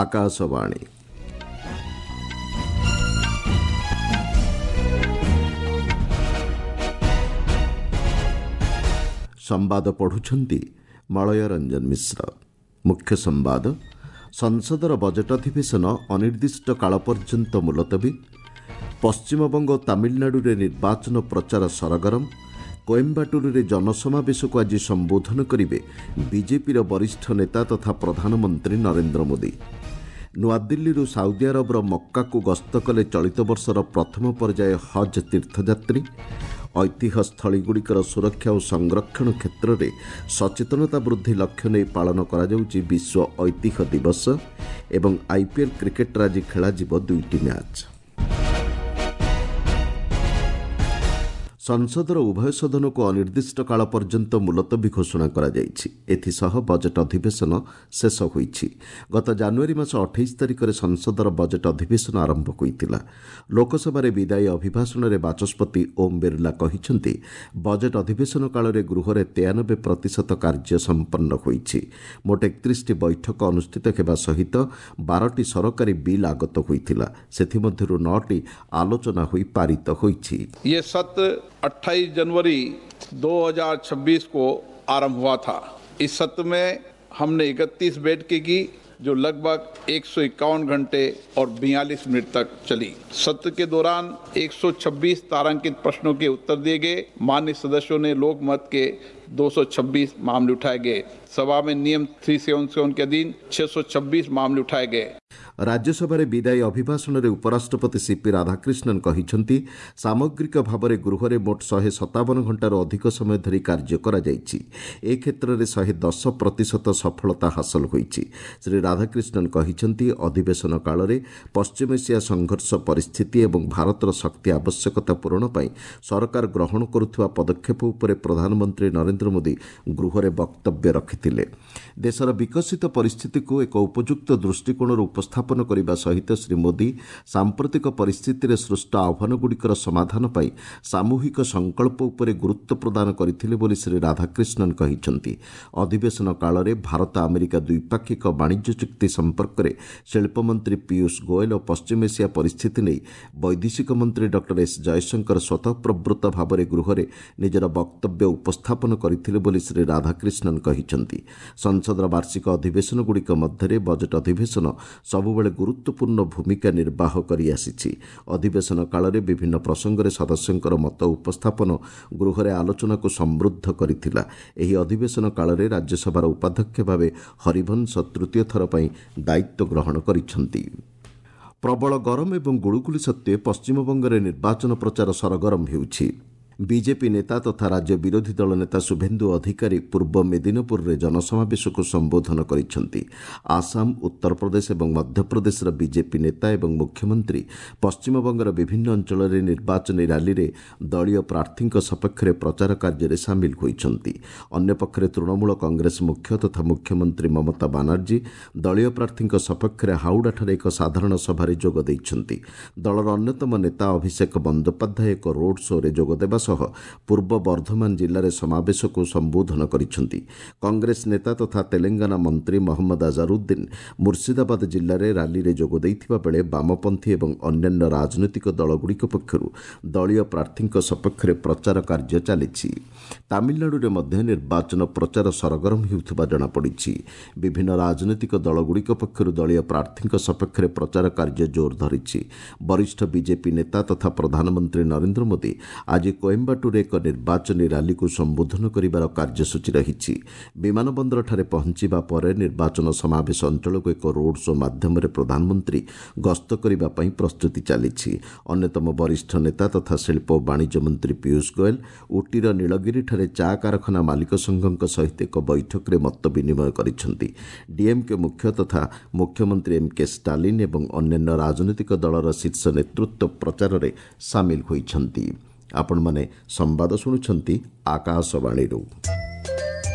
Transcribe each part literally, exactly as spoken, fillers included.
ଆକାଶବାଣୀ। ସମ୍ବାଦ ପଢ଼ୁଛନ୍ତି ମଳୟ ରଞ୍ଜନ ମିଶ୍ର। ମୁଖ୍ୟ ସମ୍ବାଦ। ସଂସଦର ବଜେଟ୍ ଅଧିବେଶନ ଅନିର୍ଦ୍ଦିଷ୍ଟ କାଳ ପର୍ଯ୍ୟନ୍ତ ମୁଲତବୀ। ପଶ୍ଚିମବଙ୍ଗ ଓ ତାମିଲନାଡୁରେ ନିର୍ବାଚନ ପ୍ରଚାର ସରଗରମ। କୋଏମ୍ବାଟୁରରେ ଜନସମାବେଶକୁ ଆଜି ସମ୍ବୋଧନ କରିବେ ବିଜେପିର ବରିଷ୍ଠ ନେତା ତଥା ପ୍ରଧାନମନ୍ତ୍ରୀ ନରେନ୍ଦ୍ର ମୋଦି। ନୂଆଦିଲ୍ଲୀରୁ ସାଉଦି ଆରବର ମକ୍କାକୁ ଗସ୍ତ କଲେ ଚଳିତ ବର୍ଷର ପ୍ରଥମ ପର୍ଯ୍ୟାୟ ହଜ୍ ତୀର୍ଥଯାତ୍ରୀ। ଐତିହ୍ୟସ୍ଥଳୀଗୁଡ଼ିକର ସୁରକ୍ଷା ଓ ସଂରକ୍ଷଣ କ୍ଷେତ୍ରରେ ସଚେତନତା ବୃଦ୍ଧି ଲକ୍ଷ୍ୟ ନେଇ ପାଳନ କରାଯାଉଛି ବିଶ୍ୱ ଐତିହ୍ୟ ଦିବସ। ଏବଂ ଆଇପିଏଲ୍ କ୍ରିକେଟ୍ରେ ଆଜି ଖେଳାଯିବ ଦୁଇଟି ମ୍ୟାଚ୍। ସଂସଦର ଉଭୟ ସଦନକୁ ଅନିର୍ଦ୍ଦିଷ୍ଟ କାଳ ପର୍ଯ୍ୟନ୍ତ ମୁଲତବୀ ଘୋଷଣା କରାଯାଇଛି। ଏଥିସହ ବଜେଟ୍ ଅଧିବେଶନ ଶେଷ ହୋଇଛି। ଗତ ଜାନୁଆରୀ ମାସ ଅଠେଇଶ ତାରିଖରେ ସଂସଦର ବଜେଟ୍ ଅଧିବେଶନ ଆରମ୍ଭ ହୋଇଥିଲା। ଲୋକସଭାରେ ବିଦାୟୀ ଅଭିଭାଷଣରେ ବାଚସ୍ପତି ଓମ୍ ବିର୍ଲା କହିଛନ୍ତି, ବଜେଟ୍ ଅଧିବେଶନ କାଳରେ ଗୃହରେ ତେୟାନବେ ପ୍ରତିଶତ କାର୍ଯ୍ୟ ସମ୍ପନ୍ନ ହୋଇଛି। ମୋଟ ଏକତିରିଶଟି ବୈଠକ ଅନୁଷ୍ଠିତ ହେବା ସହିତ ବାରଟି ସରକାରୀ ବିଲ୍ ଆଗତ ହୋଇଥିଲା। ସେଥିମଧ୍ୟରୁ ନଅଟି ଆଲୋଚନା ହୋଇ ପାରିତ ହୋଇଛି। ये सत्र अट्ठाईस जनवरी दो हज़ार छब्बीस को आरंभ हुआ था। इस सत्र में हमने इकतीस बैठकें की, जो लगभग एक सौ इक्यावन घंटे और बयालीस मिनट तक चली। सत्र के दौरान एक सौ छब्बीस तारांकित प्रश्नों के उत्तर दिए गए। मान्य सदस्यों ने लोकमत के दो सौ छब्बीस मामले उठाए गए। सभा में नियम तीन सौ सतहत्तर के अधीन छह सौ छब्बीस मामले उठाए गए। ରାଜ୍ୟସଭାରେ ବିଦାୟୀ ଅଭିଭାଷଣରେ ଉପରାଷ୍ଟ୍ରପତି ସିପି ରାଧାକ୍ରିଷ୍ଣନ୍ କହିଛନ୍ତି, ସାମଗ୍ରିକ ଭାବରେ ଗୃହରେ ମୋଟ ଶହେ ସତାବନ ଘଣ୍ଟାରୁ ଅଧିକ ସମୟ ଧରି କାର୍ଯ୍ୟ କରାଯାଇଛି। ଏ କ୍ଷେତ୍ରରେ ଶହେ ଦଶ ପ୍ରତିଶତ ସଫଳତା ହାସଲ ହୋଇଛି। ଶ୍ରୀ ରାଧାକ୍ରିଷ୍ଣନ୍ କହିଛନ୍ତି, ଅଧିବେଶନ କାଳରେ ପଶ୍ଚିମ ଏସିଆ ସଂଘର୍ଷ ପରିସ୍ଥିତି ଏବଂ ଭାରତର ଶକ୍ତି ଆବଶ୍ୟକତା ପୂରଣ ପାଇଁ ସରକାର ଗ୍ରହଣ କରୁଥିବା ପଦକ୍ଷେପ ଉପରେ ପ୍ରଧାନମନ୍ତ୍ରୀ ନରେନ୍ଦ୍ର ମୋଦି ଗୃହରେ ବକ୍ତବ୍ୟ ରଖିଥିଲେ। ଦେଶର ବିକଶିତ ପରିସ୍ଥିତିକୁ ଏକ ଉପଯୁକ୍ତ ଦୃଷ୍ଟିକୋଣରୁ ଉପସ୍ଥାପନ କରିବା ସହିତ ଶ୍ରୀ ମୋଦି ସାମ୍ପ୍ରତିକ ପରିସ୍ଥିତିରେ ସୃଷ୍ଟ ଆହ୍ୱାନଗୁଡ଼ିକର ସମାଧାନ ପାଇଁ ସାମୂହିକ ସଂକଳ୍ପ ଉପରେ ଗୁରୁତ୍ୱ ପ୍ରଦାନ କରିଥିଲେ ବୋଲି ଶ୍ରୀ ରାଧାକ୍ରିଷ୍ଣନ୍ କହିଛନ୍ତି। ଅଧିବେଶନ କାଳରେ ଭାରତ ଆମେରିକା ଦ୍ୱିପାକ୍ଷିକ ବାଣିଜ୍ୟ ଚୁକ୍ତି ସମ୍ପର୍କରେ ଶିଳ୍ପମନ୍ତ୍ରୀ ପୀୟୁଷ ଗୋଏଲ ଓ ପଶ୍ଚିମ ଏସିଆ ପରିସ୍ଥିତି ନେଇ ବୈଦେଶିକ ମନ୍ତ୍ରୀ ଡକ୍ଟର ଏସ୍ ଜୟଶଙ୍କର ସ୍ୱତଃପ୍ରବୃତ୍ତ ଭାବରେ ଗୃହରେ ନିଜର ବକ୍ତବ୍ୟ ଉପସ୍ଥାପନ କରିଥିଲେ ବୋଲି ଶ୍ରୀ ରାଧାକ୍ରିଷ୍ଣନ୍ କହିଛନ୍ତି। ସଂସଦର ବାର୍ଷିକ ଅଧିବେଶନଗୁଡ଼ିକ ମଧ୍ୟରେ ବଜେଟ୍ ଅଧିବେଶନ ସବୁବେଳେ ଗୁରୁତ୍ୱପୂର୍ଣ୍ଣ ଭୂମିକା ନିର୍ବାହ କରିଆସିଛି। ଅଧିବେଶନ କାଳରେ ବିଭିନ୍ନ ପ୍ରସଙ୍ଗରେ ସଦସ୍ୟଙ୍କର ମତ ଉପସ୍ଥାପନ ଗୃହରେ ଆଲୋଚନାକୁ ସମୃଦ୍ଧ କରିଥିଲା। ଏହି ଅଧିବେଶନ କାଳରେ ରାଜ୍ୟସଭାର ଉପାଧ୍ୟକ୍ଷ ଭାବେ ହରିବଂଶ ତୃତୀୟ ଥର ପାଇଁ ଦାୟିତ୍ୱ ଗ୍ରହଣ କରିଛନ୍ତି। ପ୍ରବଳ ଗରମ ଏବଂ ଗୁଳୁଗୁଳି ସତ୍ତ୍ୱେ ପଶ୍ଚିମବଙ୍ଗରେ ନିର୍ବାଚନ ପ୍ରଚାର ସରଗରମ ହେଉଛି। ବିଜେପି ନେତା ତଥା ରାଜ୍ୟ ବିରୋଧୀ ଦଳ ନେତା ଶୁଭେନ୍ଦୁ ଅଧିକାରୀ ପୂର୍ବ ମେଦିନପୁରରେ ଜନସମାବେଶକୁ ସମ୍ବୋଧନ କରିଛନ୍ତି। ଆସାମ, ଉତ୍ତରପ୍ରଦେଶ ଏବଂ ମଧ୍ୟପ୍ରଦେଶର ବିଜେପି ନେତା ଏବଂ ମୁଖ୍ୟମନ୍ତ୍ରୀ ପଶ୍ଚିମବଙ୍ଗର ବିଭିନ୍ନ ଅଞ୍ଚଳରେ ନିର୍ବାଚନୀ ରାଲିରେ ଦଳୀୟ ପ୍ରାର୍ଥୀଙ୍କ ସପକ୍ଷରେ ପ୍ରଚାର କାର୍ଯ୍ୟରେ ସାମିଲ ହୋଇଛନ୍ତି। ଅନ୍ୟପକ୍ଷରେ ତୃଣମୂଳ କଂଗ୍ରେସ ମୁଖ୍ୟ ତଥା ମୁଖ୍ୟମନ୍ତ୍ରୀ ମମତା ବାନାର୍ଜୀ ଦଳୀୟ ପ୍ରାର୍ଥୀଙ୍କ ସପକ୍ଷରେ ହାଉଡ଼ାଠାରେ ଏକ ସାଧାରଣ ସଭାରେ ଯୋଗ ଦେଇଛନ୍ତି। ଦଳର ଅନ୍ୟତମ ନେତା ଅଭିଷେକ ବନ୍ଦୋପାଧ୍ୟାୟ ଏକ ରୋଡ୍ ଶୋରେ ଯୋଗଦେବା ସହ ପୂର୍ବ ବର୍ଦ୍ଧମାନ ଜିଲ୍ଲାରେ ସମାବେଶକୁ ସମ୍ବୋଧନ କରିଛନ୍ତି। କଂଗ୍ରେସ ନେତା ତଥା ତେଲେଙ୍ଗାନା ମନ୍ତ୍ରୀ ମହମ୍ମଦ ଆଜାରୁଦ୍ଦିନ ମୁର୍ଶିଦାବାଦ ଜିଲ୍ଲାରେ ରାଲିରେ ଯୋଗ ଦେଇଥିବା ବେଳେ ବାମପନ୍ଥୀ ଏବଂ ଅନ୍ୟାନ୍ୟ ରାଜନୈତିକ ଦଳଗୁଡ଼ିକ ପକ୍ଷରୁ ଦଳୀୟ ପ୍ରାର୍ଥୀଙ୍କ ସପକ୍ଷରେ ପ୍ରଚାର କାର୍ଯ୍ୟ ଚାଲିଛି। ତାମିଲନାଡୁରେ ମଧ୍ୟ ନିର୍ବାଚନ ପ୍ରଚାର ସରଗରମ ହେଉଥିବା ଜଣାପଡ଼ିଛି। ବିଭିନ୍ନ ରାଜନୈତିକ ଦଳଗୁଡ଼ିକ ପକ୍ଷରୁ ଦଳୀୟ ପ୍ରାର୍ଥୀଙ୍କ ସପକ୍ଷରେ ପ୍ରଚାର କାର୍ଯ୍ୟ ଜୋର ଧରିଛି। ବରିଷ୍ଠ ବିଜେପି ନେତା ତଥା ପ୍ରଧାନମନ୍ତ୍ରୀ ନରେନ୍ଦ୍ର ମୋଦି ଆଜି କୋଏମ୍ବାଟୁରରେ ଏକ ନିର୍ବାଚନୀ ରାଲିକୁ ସମ୍ବୋଧନ କରିବାର କାର୍ଯ୍ୟସୂଚୀ ରହିଛି। ବିମାନ ବନ୍ଦରଠାରେ ପହଞ୍ଚିବା ପରେ ନିର୍ବାଚନ ସମାବେଶ ଅଞ୍ଚଳକୁ ଏକ ରୋଡ୍ ଶୋ ମାଧ୍ୟମରେ ପ୍ରଧାନମନ୍ତ୍ରୀ ଗସ୍ତ କରିବା ପାଇଁ ପ୍ରସ୍ତୁତି ଚାଲିଛି। ଅନ୍ୟତମ ବରିଷ୍ଠ ନେତା ତଥା ଶିଳ୍ପ ଓ ବାଣିଜ୍ୟ ମନ୍ତ୍ରୀ ପୀୟୁଷ ଗୋଏଲ ଉଟିର ନୀଳଗିରିଠାରେ ଚା କାରଖାନା ମାଲିକ ସଂଘଙ୍କ ସହିତ ଏକ ବୈଠକରେ ମତ ବିନିମୟ କରିଛନ୍ତି। ଡିଏମ୍କେ ମୁଖ୍ୟ ତଥା ମୁଖ୍ୟମନ୍ତ୍ରୀ ଏମ୍ କେ ଷ୍ଟାଲିନ୍ ଏବଂ ଅନ୍ୟାନ୍ୟ ରାଜନୈତିକ ଦଳର ଶୀର୍ଷ ନେତୃତ୍ୱ ପ୍ରଚାରରେ ସାମିଲ ହୋଇଛନ୍ତି। ଆପଣମାନେ ସମ୍ବାଦ ଶୁଣୁଛନ୍ତି ଆକାଶବାଣୀରୁ।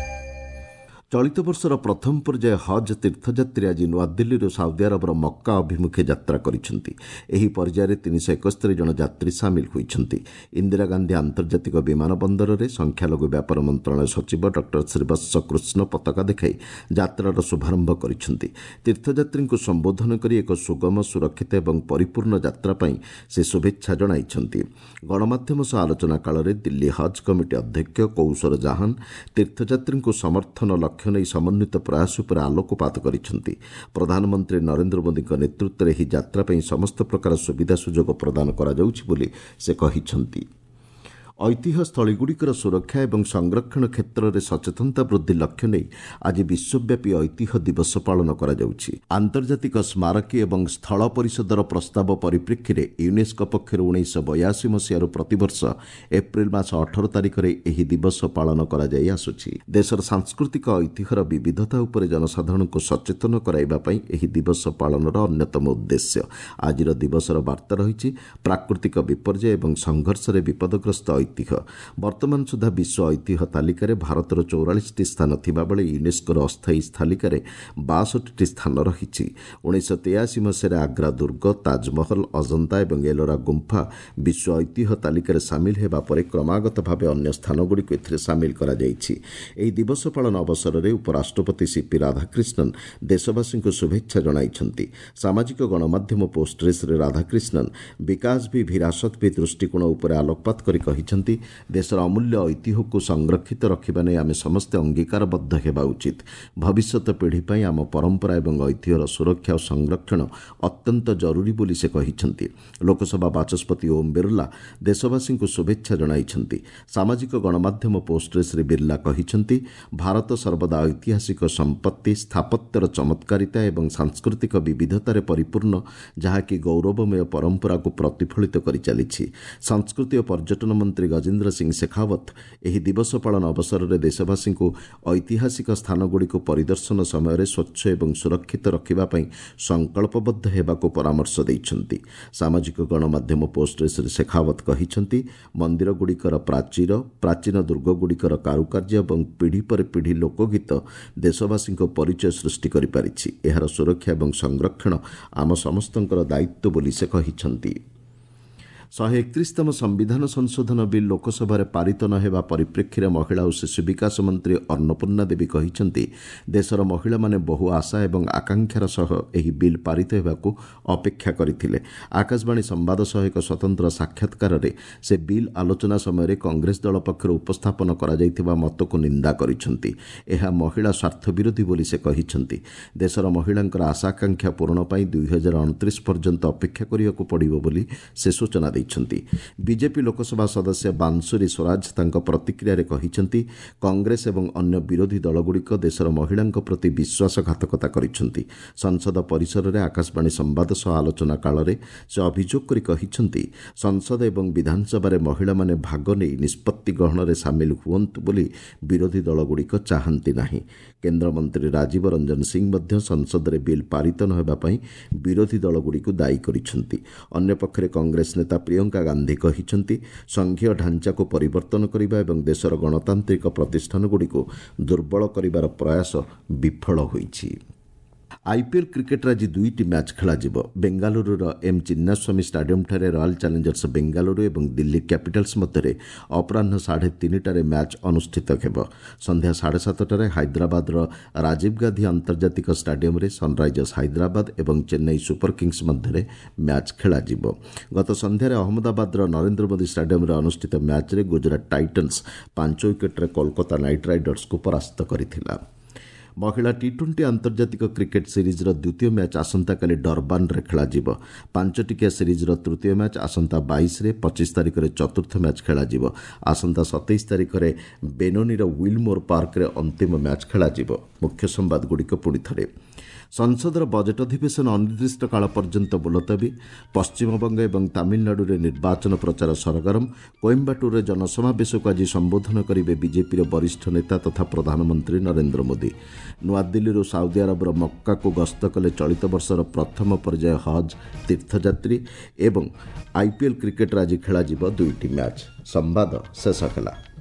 ଚଳିତ ବର୍ଷର ପ୍ରଥମ ପର୍ଯ୍ୟାୟ ହଜ୍ ତୀର୍ଥଯାତ୍ରୀ ଆଜି ନୂଆଦିଲ୍ଲୀରୁ ସାଉଦି ଆରବର ମକ୍କା ଅଭିମୁଖେ ଯାତ୍ରା କରିଛନ୍ତି। ଏହି ପର୍ଯ୍ୟାୟରେ ତିନିଶହ ଏକସ୍ତରୀ ଜଣ ଯାତ୍ରୀ ସାମିଲ ହୋଇଛନ୍ତି। ଇନ୍ଦିରା ଗାନ୍ଧୀ ଆନ୍ତର୍ଜାତିକ ବିମାନ ବନ୍ଦରରେ ସଂଖ୍ୟାଲଘୁ ବ୍ୟାପାର ମନ୍ତ୍ରଣାଳୟ ସଚିବ ଡକ୍ଟର ଶ୍ରୀବତ୍ସ କୃଷ୍ଣ ପତାକା ଦେଖାଇ ଯାତ୍ରାର ଶୁଭାରମ୍ଭ କରିଛନ୍ତି। ତୀର୍ଥଯାତ୍ରୀଙ୍କୁ ସମ୍ବୋଧନ କରି ଏକ ସୁଗମ, ସୁରକ୍ଷିତ ଏବଂ ପରିପୂର୍ଣ୍ଣ ଯାତ୍ରା ପାଇଁ ସେ ଶୁଭେଚ୍ଛା ଜଣାଇଛନ୍ତି। ଗଣମାଧ୍ୟମ ସହ ଆଲୋଚନା କାଳରେ ଦିଲ୍ଲୀ ହଜ୍ କମିଟି ଅଧ୍ୟକ୍ଷ କୌସର ଜାହାନ ତୀର୍ଥଯାତ୍ରୀଙ୍କୁ ସମର୍ଥନ ଲକ୍ଷ୍ୟ ନେଇ ସମନ୍ୱିତ ପ୍ରୟାସ ଉପରେ ଆଲୋକପାତ କରିଛନ୍ତି। ପ୍ରଧାନମନ୍ତ୍ରୀ ନରେନ୍ଦ୍ର ମୋଦିଙ୍କ ନେତୃତ୍ୱରେ ଏହି ଯାତ୍ରା ପାଇଁ ସମସ୍ତ ପ୍ରକାର ସୁବିଧା ସୁଯୋଗ ପ୍ରଦାନ କରାଯାଉଛି ବୋଲି ସେ କହିଛନ୍ତି। ଐତିହ୍ୟସ୍ଥଳୀଗୁଡ଼ିକର ସୁରକ୍ଷା ଏବଂ ସଂରକ୍ଷଣ କ୍ଷେତ୍ରରେ ସଚେତନତା ବୃଦ୍ଧି ଲକ୍ଷ୍ୟ ନେଇ ଆଜି ବିଶ୍ୱବ୍ୟାପୀ ଐତିହ୍ୟ ଦିବସ ପାଳନ କରାଯାଉଛି। ଆନ୍ତର୍ଜାତିକ ସ୍ମାରକୀ ଏବଂ ସ୍ଥଳ ପରିଷଦର ପ୍ରସ୍ତାବ ପରିପ୍ରେକ୍ଷୀରେ ୟୁନେସ୍କୋ ପକ୍ଷରୁ ଉଣେଇଶହ ବୟାଅଶୀ ମସିହାରୁ ପ୍ରତିବର୍ଷ ଏପ୍ରିଲ ମାସ ଅଠର ତାରିଖରେ ଏହି ଦିବସ ପାଳନ କରାଯାଇ ଆସୁଛି। ଦେଶର ସାଂସ୍କୃତିକ ଐତିହ୍ୟର ବିବିଧତା ଉପରେ ଜନସାଧାରଣଙ୍କୁ ସଚେତନ କରାଇବା ପାଇଁ ଏହି ଦିବସ ପାଳନର ଅନ୍ୟତମ ଉଦ୍ଦେଶ୍ୟ। ଆଜିର ଦିବସର ବାର୍ତ୍ତା ରହିଛି ପ୍ରାକୃତିକ ବିପର୍ଯ୍ୟୟ ଏବଂ ସଂଘର୍ଷରେ ବିପଦଗ୍ରସ୍ତ ଐତିହ୍ୟ। ବର୍ତ୍ତମାନ ସୁଦ୍ଧା ବିଶ୍ୱ ଐତିହ୍ୟ ତାଲିକାରେ ଭାରତର ଚଉରାଳିଶଟି ସ୍ଥାନ ଥିବାବେଳେ ୟୁନେସ୍କୋର ଅସ୍ଥାୟୀ ତାଲିକାରେ ବାଷଠିଟି ସ୍ଥାନ ରହିଛି। ଉଣେଇଶହ ତେୟାଅଶୀ ମସିହାରେ ଆଗ୍ରା ଦୁର୍ଗ, ତାଜମହଲ, ଅଜନ୍ତା ଏବଂ ଏଲୋରା ଗୁମ୍ଫା ବିଶ୍ୱ ଐତିହ୍ୟ ତାଲିକାରେ ସାମିଲ ହେବା ପରେ କ୍ରମାଗତ ଭାବେ ଅନ୍ୟ ସ୍ଥାନଗୁଡ଼ିକୁ ଏଥିରେ ସାମିଲ କରାଯାଇଛି। ଏହି ଦିବସ ପାଳନ ଅବସରରେ ଉପରାଷ୍ଟ୍ରପତି ସିପି ରାଧାକ୍ରିଷ୍ଣନ ଦେଶବାସୀଙ୍କୁ ଶୁଭେଚ୍ଛା ଜଣାଇଛନ୍ତି। ସାମାଜିକ ଗଣମାଧ୍ୟମ ପୋଷ୍ଟରେ ଶ୍ରୀ ରାଧାକ୍ରିଷ୍ଣନ ବିକାଶ ଭି ଭିରାସତ ଭି ଦୃଷ୍ଟିକୋଣ ଉପରେ ଆଲୋକପାତ କରି କହିଛନ୍ତି, ଦେଶର ଅମୂଲ୍ୟ ଐତିହ୍ୟକୁ ସଂରକ୍ଷିତ ରଖିବା ନେଇ ଆମେ ସମସ୍ତେ ଅଙ୍ଗୀକାରବଦ୍ଧ ହେବା ଉଚିତ। ଭବିଷ୍ୟତ ପିଢ଼ି ପାଇଁ ଆମ ପରମ୍ପରା ଏବଂ ଐତିହ୍ୟର ସୁରକ୍ଷା ଓ ସଂରକ୍ଷଣ ଅତ୍ୟନ୍ତ ଜରୁରୀ ବୋଲି ସେ କହିଛନ୍ତି। ଲୋକସଭା ବାଚସ୍ପତି ଓମ୍ ବିର୍ଲା ଦେଶବାସୀଙ୍କୁ ଶୁଭେଚ୍ଛା ଜଣାଇଛନ୍ତି। ସାମାଜିକ ଗଣମାଧ୍ୟମ ପୋଷ୍ଟରେ ଶ୍ରୀ ବିର୍ଲା କହିଛନ୍ତି, ଭାରତ ସର୍ବଦା ଐତିହାସିକ ସମ୍ପତ୍ତି, ସ୍ଥାପତ୍ୟର ଚମତ୍କାରିତା ଏବଂ ସାଂସ୍କୃତିକ ବିବିଧତାରେ ପରିପୂର୍ଣ୍ଣ, ଯାହାକି ଗୌରବମୟ ପରମ୍ପରାକୁ ପ୍ରତିଫଳିତ କରିଚାଲିଛି। ସଂସ୍କୃତି ଓ ପର୍ଯ୍ୟଟନ ମନ୍ତ୍ରୀ ଗଜେନ୍ଦ୍ର ସିଂ ଶେଖାୱତ ଏହି ଦିବସ ପାଳନ ଅବସରରେ ଦେଶବାସୀଙ୍କୁ ଐତିହାସିକ ସ୍ଥାନଗୁଡ଼ିକୁ ପରିଦର୍ଶନ ସମୟରେ ସ୍ୱଚ୍ଛ ଏବଂ ସୁରକ୍ଷିତ ରଖିବା ପାଇଁ ସଂକଳ୍ପବଦ୍ଧ ହେବାକୁ ପରାମର୍ଶ ଦେଇଛନ୍ତି। ସାମାଜିକ ଗଣମାଧ୍ୟମ ପୋଷ୍ଟରେ ଶ୍ରୀ ଶେଖାୱତ କହିଛନ୍ତି, ମନ୍ଦିରଗୁଡ଼ିକର ପ୍ରାଚୀର, ପ୍ରାଚୀନ ଦୁର୍ଗଗୁଡ଼ିକର କାରୁକାର୍ଯ୍ୟ ଏବଂ ପିଢ଼ି ପରେ ପିଢ଼ି ଲୋକଗୀତ ଦେଶବାସୀଙ୍କ ପରିଚୟ ସୃଷ୍ଟି କରିପାରିଛି। ଏହାର ସୁରକ୍ଷା ଏବଂ ସଂରକ୍ଷଣ ଆମ ସମସ୍ତଙ୍କର ଦାୟିତ୍ୱ ବୋଲି ସେ କହିଛନ୍ତି। ଶହେ ଏକତିରିଶତମ ସମ୍ବିଧାନ ସଂଶୋଧନ ବିଲ୍ ଲୋକସଭାରେ ପାରିତ ନ ହେବା ପରିପ୍ରେକ୍ଷୀରେ ମହିଳା ଓ ଶିଶୁ ବିକାଶ ମନ୍ତ୍ରୀ ଅନ୍ନପୂର୍ଣ୍ଣା ଦେବୀ କହିଛନ୍ତି, ଦେଶର ମହିଳାମାନେ ବହୁ ଆଶା ଏବଂ ଆକାଂକ୍ଷାର ସହ ଏହି ବିଲ୍ ପାରିତ ହେବାକୁ ଅପେକ୍ଷା କରିଥିଲେ। ଆକାଶବାଣୀ ସମ୍ବାଦ ସହ ଏକ ସ୍ୱତନ୍ତ୍ର ସାକ୍ଷାତକାରରେ ସେ ବିଲ୍ ଆଲୋଚନା ସମୟରେ କଂଗ୍ରେସ ଦଳ ପକ୍ଷରୁ ଉପସ୍ଥାପନ କରାଯାଇଥିବା ମତକୁ ନିନ୍ଦା କରିଛନ୍ତି। ଏହା ମହିଳା ସ୍ୱାର୍ଥ ବିରୋଧୀ ବୋଲି ସେ କହିଛନ୍ତି। ଦେଶର ମହିଳାଙ୍କର ଆଶା ଆକାଂକ୍ଷା ପୂରଣ ପାଇଁ ଦୁଇ ହଜାର ଅଣତିରିଶ ପର୍ଯ୍ୟନ୍ତ ଅପେକ୍ଷା କରିବାକୁ ପଡ଼ିବ ବୋଲି ସେ ସୂଚନା ଦେଇଛନ୍ତି। ବିଜେପି ଲୋକସଭା ସଦସ୍ୟ ବାଂଶୁରୀ ସ୍ୱରାଜ ତାଙ୍କ ପ୍ରତିକ୍ରିୟାରେ କହିଛନ୍ତି, କଂଗ୍ରେସ ଏବଂ ଅନ୍ୟ ବିରୋଧୀ ଦଳଗୁଡ଼ିକ ଦେଶର ମହିଳାଙ୍କ ପ୍ରତି ବିଶ୍ୱାସଘାତକତା କରିଛନ୍ତି। ସଂସଦ ପରିସରରେ ଆକାଶବାଣୀ ସମ୍ବାଦ ସହ ଆଲୋଚନା କାଳରେ ସେ ଅଭିଯୋଗ କରି କହିଛନ୍ତି, ସଂସଦ ଏବଂ ବିଧାନସଭାରେ ମହିଳାମାନେ ଭାଗ ନେଇ ନିଷ୍ପତ୍ତି ଗ୍ରହଣରେ ସାମିଲ ହୁଅନ୍ତୁ ବୋଲି ବିରୋଧୀ ଦଳଗୁଡ଼ିକ ଚାହାନ୍ତି ନାହିଁ। କେନ୍ଦ୍ରମନ୍ତ୍ରୀ ରାଜୀବ ରଞ୍ଜନ ସିଂ ମଧ୍ୟ ସଂସଦରେ ବିଲ୍ ପାରିତ ନ ହେବା ପାଇଁ ବିରୋଧୀ ଦଳଗୁଡ଼ିକୁ ଦାୟୀ କରିଛନ୍ତି। ଅନ୍ୟପକ୍ଷରେ କଂଗ୍ରେସ ନେତା ପ୍ରିୟଙ୍କା ଗାନ୍ଧୀ କହିଛନ୍ତି, ସଂଘୀୟ ଢାଞ୍ଚାକୁ ପରିବର୍ତ୍ତନ କରିବା ଏବଂ ଦେଶର ଗଣତାନ୍ତ୍ରିକ ପ୍ରତିଷ୍ଠାନଗୁଡ଼ିକୁ ଦୁର୍ବଳ କରିବାର ପ୍ରୟାସ ବିଫଳ ହୋଇଛି। ଆଇପିଏଲ୍ କ୍ରିକେଟ୍ରେ ଆଜି ଦୁଇଟି ମ୍ୟାଚ୍ ଖେଳାଯିବ। ବେଙ୍ଗାଲୁରୁର ଏମ୍ ଚିନ୍ନାସ୍ୱାମୀ ଷ୍ଟାଡିୟମ୍ଠାରେ ରୟାଲ୍ ଚ୍ୟାଲେଞ୍ଜର୍ସ ବେଙ୍ଗାଲୁରୁ ଏବଂ ଦିଲ୍ଲୀ କ୍ୟାପିଟାଲ୍ସ ମଧ୍ୟରେ ଅପରାହ୍ନ ସାଢ଼େ ତିନିଟାରେ ମ୍ୟାଚ୍ ଅନୁଷ୍ଠିତ ହେବ। ସନ୍ଧ୍ୟା ସାଢ଼େ ସାତଟାରେ ହାଇଦ୍ରାବାଦର ରାଜୀବ ଗାନ୍ଧୀ ଆନ୍ତର୍ଜାତିକ ଷ୍ଟାଡିୟମ୍ରେ ସନ୍ରାଇଜର୍ସ ହାଇଦ୍ରାବାଦ ଏବଂ ଚେନ୍ନାଇ ସୁପର କିଙ୍ଗସ୍ ମଧ୍ୟରେ ମ୍ୟାଚ୍ ଖେଳାଯିବ। ଗତ ସନ୍ଧ୍ୟାରେ ଅହମ୍ମଦାବାଦର ନରେନ୍ଦ୍ର ମୋଦି ଷ୍ଟାଡିୟମ୍ରେ ଅନୁଷ୍ଠିତ ମ୍ୟାଚ୍ରେ ଗୁଜରାଟ ଟାଇଟନ୍ସ ପାଞ୍ଚ ୱିକେଟ୍ରେ କୋଲକାତା ନାଇଟ୍ ରାଇଡର୍ସକୁ ପରାସ୍ତ କରିଥିଲା। ମହିଳା ଟି ଟ୍ୱେଣ୍ଟି ଆନ୍ତର୍ଜାତିକ କ୍ରିକେଟ୍ ସିରିଜ୍ର ଦ୍ୱିତୀୟ ମ୍ୟାଚ୍ ଆସନ୍ତାକାଲି ଡର୍ବାନରେ ଖେଳାଯିବ। ପାଞ୍ଚଟିକିଆ ସିରିଜ୍ର ତୃତୀୟ ମ୍ୟାଚ୍ ଆସନ୍ତା ବାଇଶରେ, ପଚିଶ ତାରିଖରେ ଚତୁର୍ଥ ମ୍ୟାଚ୍ ଖେଳାଯିବ। ଆସନ୍ତା ସତେଇଶ ତାରିଖରେ ବେନୋନିର ୱିଲମୋର ପାର୍କରେ ଅନ୍ତିମ ମ୍ୟାଚ୍ ଖେଳାଯିବ। ମୁଖ୍ୟ ସମ୍ବାଦଗୁଡ଼ିକ ପୁଣି ଥରେ। ସଂସଦର ବଜେଟ୍ ଅଧିବେଶନ ଅନିର୍ଦ୍ଦିଷ୍ଟ କାଳ ପର୍ଯ୍ୟନ୍ତ ମୁଲତବୀ। ପଶ୍ଚିମବଙ୍ଗ ଏବଂ ତାମିଲନାଡୁରେ ନିର୍ବାଚନ ପ୍ରଚାର ସରଗରମ। କୋଏମ୍ବାଟୁରରେ ଜନସମାବେଶକୁ ଆଜି ସମ୍ବୋଧନ କରିବେ ବିଜେପିର ବରିଷ୍ଠ ନେତା ତଥା ପ୍ରଧାନମନ୍ତ୍ରୀ ନରେନ୍ଦ୍ର ମୋଦି। ନୂଆଦିଲ୍ଲୀରୁ ସାଉଦି ଆରବର ମକ୍କାକୁ ଗସ୍ତ କଲେ ଚଳିତ ବର୍ଷର ପ୍ରଥମ ପର୍ଯ୍ୟାୟ ହଜ୍ ତୀର୍ଥଯାତ୍ରୀ। ଏବଂ ଆଇପିଏଲ୍ କ୍ରିକେଟ୍ରେ ଆଜି ଖେଳାଯିବ ଦୁଇଟି ମ୍ୟାଚ୍। ସମ୍ବାଦ ଶେଷ ହେଲା।